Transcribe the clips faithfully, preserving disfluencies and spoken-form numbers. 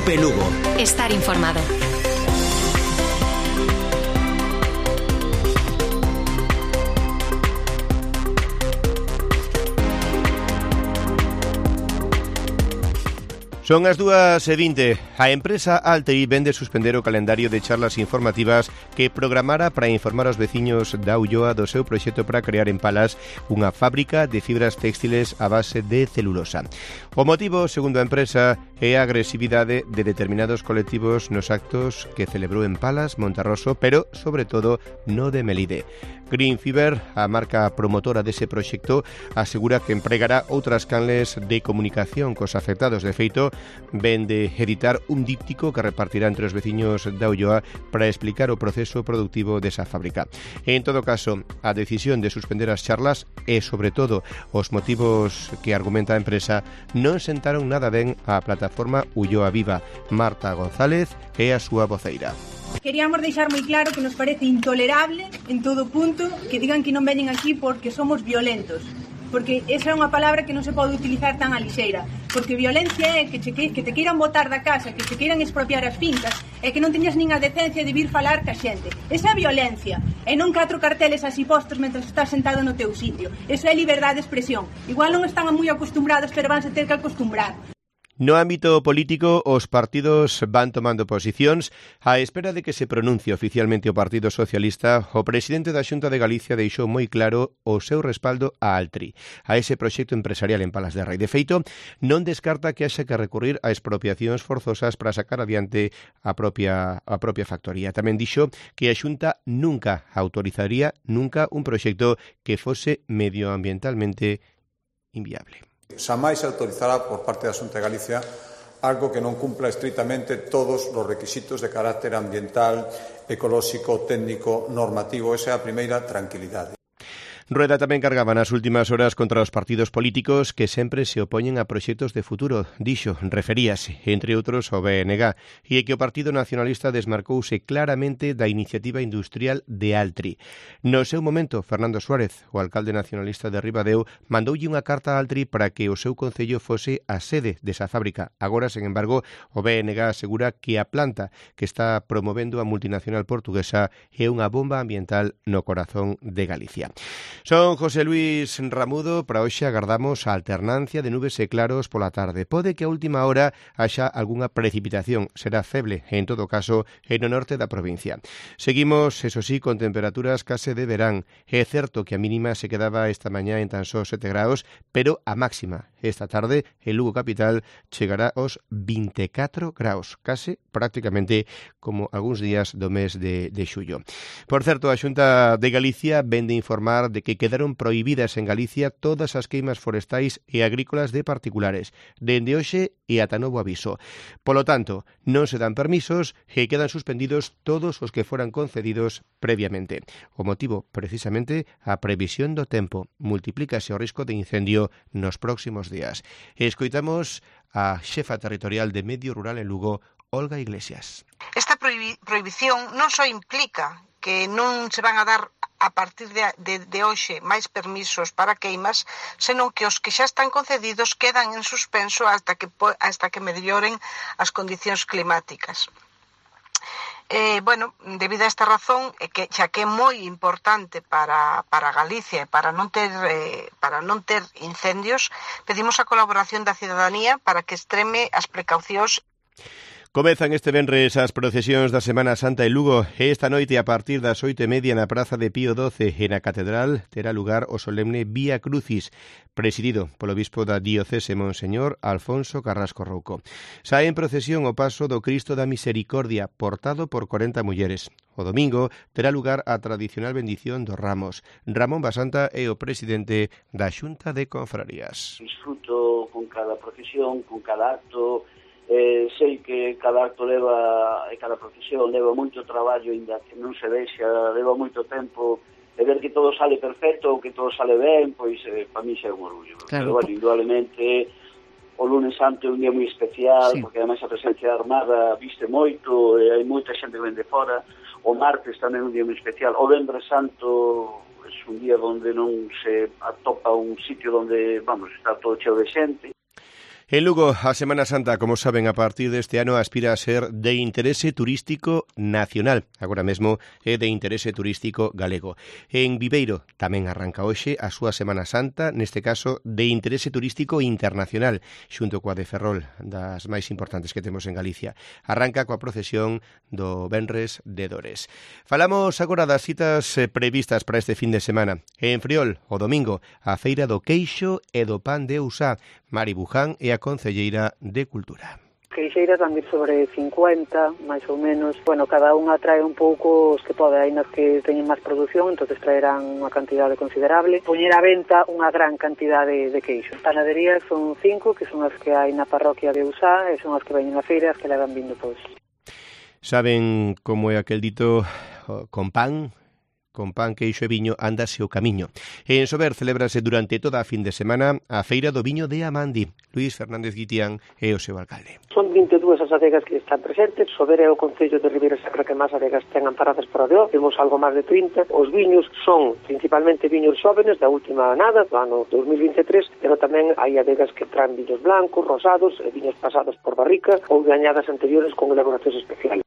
Cope Lugo. Estar informado. Son as dúas e vinte. A empresa Altri vende suspender o calendario de charlas informativas que programara para informar aos veciños da Ulloa do seu proxecto para crear en Palas unha fábrica de fibras textiles a base de celulosa. O motivo, segundo a empresa, é a agresividade de determinados colectivos nos actos que celebrou en Palas, Monterroso, pero, sobre todo, no de Melide. Green Fiber, a marca promotora dese proxecto, asegura que empregará outras canles de comunicación cos afectados. De feito, ven de editar un díptico que repartirá entre os veciños da Ulloa para explicar o proceso productivo desa fábrica. En todo caso, a decisión de suspender as charlas e, sobre todo, os motivos que argumenta a empresa non sentaron nada ben á plataforma Ulloa Viva. Marta González é a súa voceira. Queríamos deixar moi claro que nos parece intolerable en todo punto que digan que non veñen aquí porque somos violentos, porque esa é unha palabra que non se pode utilizar tan a lixeira, porque violencia é que, che, que te queiran botar da casa, que te queiran expropiar as fincas e que non teñas nin a decencia de vir falar ca xente. Esa é violencia, e non catro carteles así postos mentre estás sentado no teu sitio. Eso é liberdade de expresión. Igual non están moi acostumbrados, pero vanse ter que acostumbrar. No ámbito político, os partidos van tomando posicións. A espera de que se pronuncie oficialmente o Partido Socialista, o presidente da Xunta de Galicia deixou moi claro o seu respaldo a Altri, a ese proxecto empresarial en Palas de Rei. De feito, non descarta que haxa que recurrir a expropiacións forzosas para sacar adiante a propia, a propia factoría. Tamén dixo que a Xunta nunca autorizaría nunca un proxecto que fose medioambientalmente inviable. Xamais se autorizará por parte da Xunta de Galicia algo que non cumpla estritamente todos os requisitos de carácter ambiental, ecolóxico, técnico, normativo. Esa é a primeira tranquilidade. Rueda tamén cargaba nas últimas horas contra os partidos políticos que sempre se opoñen a proxectos de futuro. Dixo, referíase, entre outros, ao B N G, e que o Partido Nacionalista desmarcouse claramente da iniciativa industrial de Altri. No seu momento, Fernando Suárez, o alcalde nacionalista de Ribadeo, mandoulle unha carta a Altri para que o seu concello fose a sede desa fábrica. Agora, sen embargo, o B N G asegura que a planta que está promovendo a multinacional portuguesa é unha bomba ambiental no corazón de Galicia. Son José Luis Ramudo. Para hoxe agardamos a alternancia de nubes e claros pola tarde. Pode que a última hora haxa algunha precipitación. Será feble, en todo caso, en o norte da provincia. Seguimos, eso sí, con temperaturas case de verán. É certo que a mínima se quedaba esta mañá en tan só sete graus, pero a máxima esta tarde en Lugo capital chegará aos vinte e catro graus, case prácticamente como algúns días do mes de, de xullo. Por certo, a Xunta de Galicia vende informar de que quedaron prohibidas en Galicia todas as queimas forestais e agrícolas de particulares, dende hoxe e ata novo aviso. Polo tanto, non se dan permisos e quedan suspendidos todos os que foran concedidos previamente. O motivo, precisamente, a previsión do tempo. Multiplícase o risco de incendio nos próximos días. E escoitamos a xefa territorial de Medio Rural en Lugo, Olga Iglesias. Esta prohibi- prohibición non só implica que non se van a dar a partir de, de, de hoxe máis permisos para queimas, senón que os que xa están concedidos quedan en suspenso hasta que, hasta que melloren as condicións climáticas. Eh, bueno, debido a esta razón, eh, que xa que é moi importante para, para Galicia e para non ter eh, para non ter incendios, pedimos a colaboración da cidadanía para que extreme as precaucións. Comezan este venres as procesións da Semana Santa en Lugo e esta noite a partir das oito e media na Praza de Pío doce e na Catedral terá lugar o solemne Vía Crucis, presidido polo bispo da diocese Monseñor Alfonso Carrasco Rouco. Sae en procesión o paso do Cristo da Misericordia, portado por corenta mulleres. O domingo terá lugar a tradicional bendición dos ramos. Ramón Basanta é o presidente da Xunta de Confrarías. Disfruto con cada procesión, con cada acto. Eh, sei que cada acto leva e cada procesión leva moito traballo, ainda que non se vexa, leva moito tempo, e ver que todo sale perfecto ou que todo sale ben, pois eh, para mí xa é un orgullo. Claro. Pero, bueno, indudablemente o lunes santo é un día moi especial, sí, porque ademais a presencia armada viste moito, e hai moita xente que vende fora. O martes tamén é un día moi especial. O venres santo é un día onde non se atopa un sitio onde, vamos, está todo cheo de xente. En Lugo, a Semana Santa, como saben, a partir deste ano aspira a ser de interese turístico nacional. Agora mesmo é de interese turístico galego. En Viveiro tamén arranca hoxe a súa Semana Santa, neste caso de interese turístico internacional, xunto coa de Ferrol, das máis importantes que temos en Galicia. Arranca coa procesión do Venres de Dores. Falamos agora das citas previstas para este fin de semana. En Friol, o domingo, a Feira do Queixo e do Pan de Usá. Mari Buján é a concelleira de Cultura. Queixeiras van vir sobre cincuenta, máis ou menos. Bueno, cada unha trae un pouco os que pode. Hai nas que teñen máis produción, entonces traerán unha cantidade considerable. Poñer a venta unha gran cantidade de queixo. Panaderías son cinco, que son as que hai na parroquia de Usá, e son as que veñen a feira, as que levan vindo todos. Saben como é aquel dito con pan? Con pan, queixo e viño, ándase o camiño. En Sober celébrase durante toda a fin de semana a Feira do Viño de Amandi. Luís Fernández Guitián é o seu alcalde. Son vinte e dúas as adegas que están presentes. Sober é o concello de Ribeira Sacra que máis adegas ten amparadas por a D O. Temos algo máis de trinta. Os viños son principalmente viños xóvenes da última nada, do ano dos mil vinte e tres, pero tamén hai adegas que traen viños blancos, rosados, e viños pasados por barrica ou de añadas anteriores con elaboracións especiales.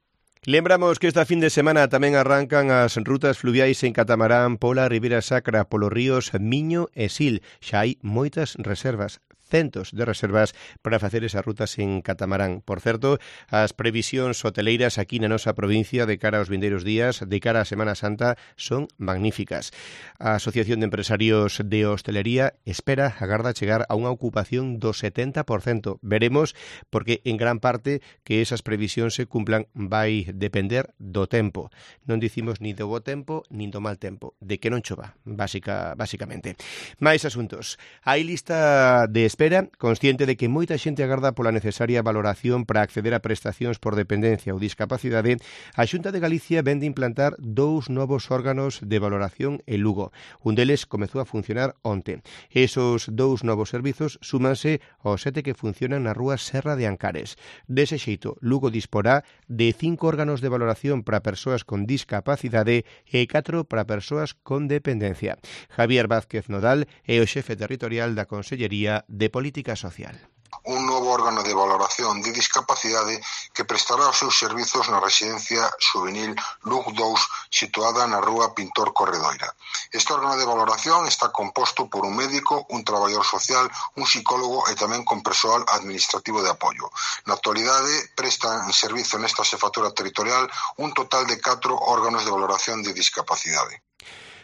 Lembramos que esta fin de semana tamén arrancan as rutas fluviais en catamarán pola Ribeira Sacra, polos ríos Miño e Sil. Xa hai moitas reservas, centos de reservas para facer esas rutas en catamarán. Por certo, as previsións hoteleiras aquí na nosa provincia de cara aos vindeiros días, de cara á Semana Santa, son magníficas. A Asociación de Empresarios de Hostelería espera, agarda chegar a unha ocupación do setenta por cento. Veremos, porque en gran parte que esas previsións se cumplan vai depender do tempo. Non dicimos ni do bo tempo, nin do mal tempo, de que non chova, básica, básicamente. Mais asuntos. Hai lista de espera, consciente de que moita xente agarda pola necesaria valoración para acceder a prestacións por dependencia ou discapacidade. A Xunta de Galicia vende implantar dous novos órganos de valoración en Lugo. Un deles comezou a funcionar onte. Esos dous novos servizos súmanse aos sete que funcionan na rúa Serra de Ancares. Dese xeito, Lugo disporá de cinco órganos de valoración para persoas con discapacidade e catro para persoas con dependencia. Javier Vázquez Nodal é o xefe territorial da Consellería de Política Social. Un novo órgano de valoración de discapacidade que prestará os seus servizos na residencia juvenil Lug dous, situada na rúa Pintor Corredoira. Este órgano de valoración está composto por un médico, un traballador social, un psicólogo e tamén con persoal administrativo de apoio. Na actualidade prestan servizo nesta xefatura territorial un total de catro órganos de valoración de discapacidade.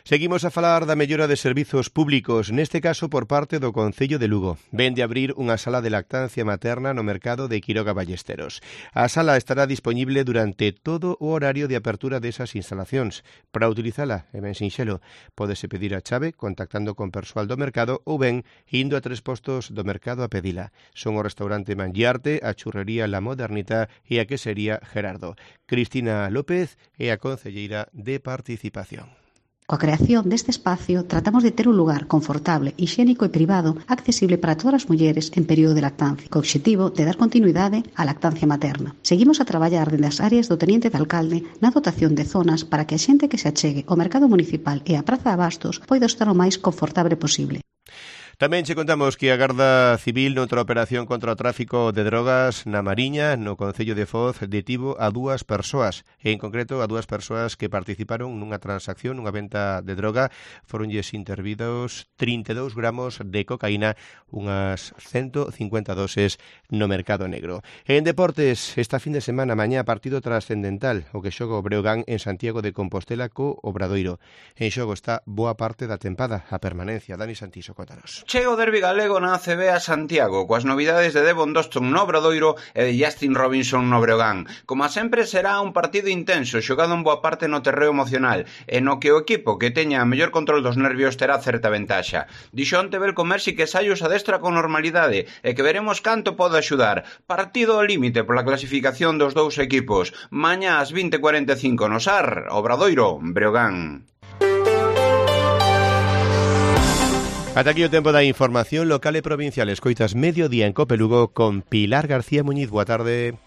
Seguimos a falar da mellora de servizos públicos, neste caso por parte do Concello de Lugo. Ven de abrir unha sala de lactancia materna no mercado de Quiroga Ballesteros. A sala estará disponible durante todo o horario de apertura desas instalacións. Para utilizala, é ben sinxelo, pódese pedir a chave contactando con persoal do mercado ou ben indo a tres postos do mercado a pedila. Son o restaurante Mangiarte, a churrería La Modernita e a quesería Gerardo. Cristina López é a concelleira de Participación. Coa creación deste espacio, tratamos de ter un lugar confortable, hixiénico e privado accesible para todas as mulleres en período de lactancia, co obxectivo de dar continuidade á lactancia materna. Seguimos a traballar dende as áreas do Teniente de Alcalde na dotación de zonas para que a xente que se achegue ao mercado municipal e á Praza de Abastos poida estar o máis confortable posible. Tamén che contamos que a Garda Civil noutra operación contra o tráfico de drogas na Mariña, no Concello de Foz, detivo a dúas persoas, en concreto a dúas persoas que participaron nunha transacción, nunha venta de droga. Foronlles intervidos trinta e dous gramos de cocaína, unhas ciento cincuenta doses no mercado negro. En deportes, esta fin de semana, mañá, partido trascendental, o que xoga o Breogán en Santiago de Compostela co Obradoiro. En xogo está boa parte da tempada, a permanencia. Dani Santiso, contanos. Chega o derbi galego na A C B a Santiago, coas novidades de Devon Doston no Obradoiro e de Justin Robinson no Breogán. Como sempre, será un partido intenso, xogado en boa parte no terreo emocional, e no que o equipo que teña a mellor control dos nervios terá certa ventaxa. Dixo onte Belko Mersi que Sayos adestra con normalidade e que veremos canto pode axudar. Partido ao límite pola clasificación dos dous equipos. Mañá ás vinte e cuarenta e cinco no S A R, Obradoiro, Breogán. Ata aquí o tempo da información local e provincial. Escoitas Mediodía en Cope Lugo con Pilar García Muñiz. Boa tarde.